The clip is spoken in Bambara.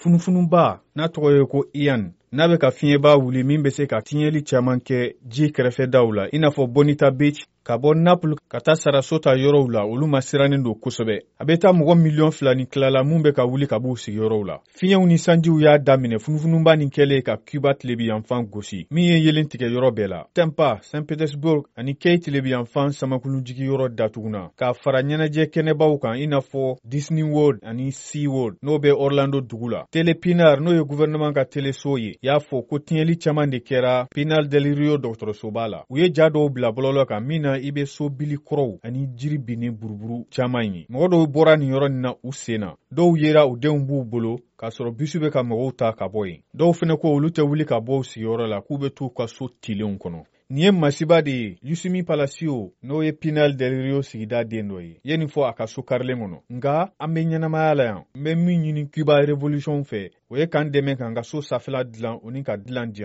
Funufunuba n'a tɔgɔ ye ko Ian, n'a bɛ ka fiɲɛba wuli min bɛ se ka tiɲɛli caman kɛ ji kɛrɛfɛdaw la, i n'a fɔ Bonita Beach, ka bɔ Naples ka taa Sarasota yɔrɔw la, olu masirannen don kosɛbɛ. A bɛ taa mɔgɔ miliyɔn 2 ni tila la mun bɛ ka wuli ka b'u sigiyɔrɔw la. Fiɲɛw ni sanjiw y'a daminɛ funufunuba nin kɛlen ka Cuba tilebiyanfan gosi, min ye yelen tigɛ yɔrɔ bɛɛ la. Tampa, Saint Petersburg ani Key tilebiyanfan samakulujigiyɔrɔ datuguna, k'a fara ɲɛnajɛ kɛnɛbaw kan, i n'a fɔ Disney World ani Sea World, n'o bɛ Orlando dugu la. Tele Pinar, n'o ye gouvernement ka teleso ye, y'a fɔ ko tiɲɛli caman de kɛra Pinar del Rio dɔgɔtɔrɔsoba la. U ye ja dɔw bila bɔlɔlɔ kan min na i bɛ so bili kɔrɔw ani jiri binnen buruburu caman ye. Mɔgɔ dɔw bɔra nin yɔrɔ nin na u sen na, dɔw yera u denw b'u bolo k'a sɔrɔ bisi bɛ ka mɔgɔw ta ka bɔ yen. Dɔw fɛnɛ ko olu tɛ wuli ka bɔ u sigiyɔrɔ la, k'u bɛ t'u ka so tilenw kɔnɔ. Nin ye masiba de ye. Yusimi Palacio, n'o ye Pinar del Rio sigida den dɔ ye, ye nin fɔ a ka so karilen kɔnɔ. Nka an bɛ ɲɛnamaya la yan. N bɛ min ɲini Cuba Revolution fɛ, o ye k'an dɛmɛ k'an ka so safɛla dilan o ni ka dilan diyan.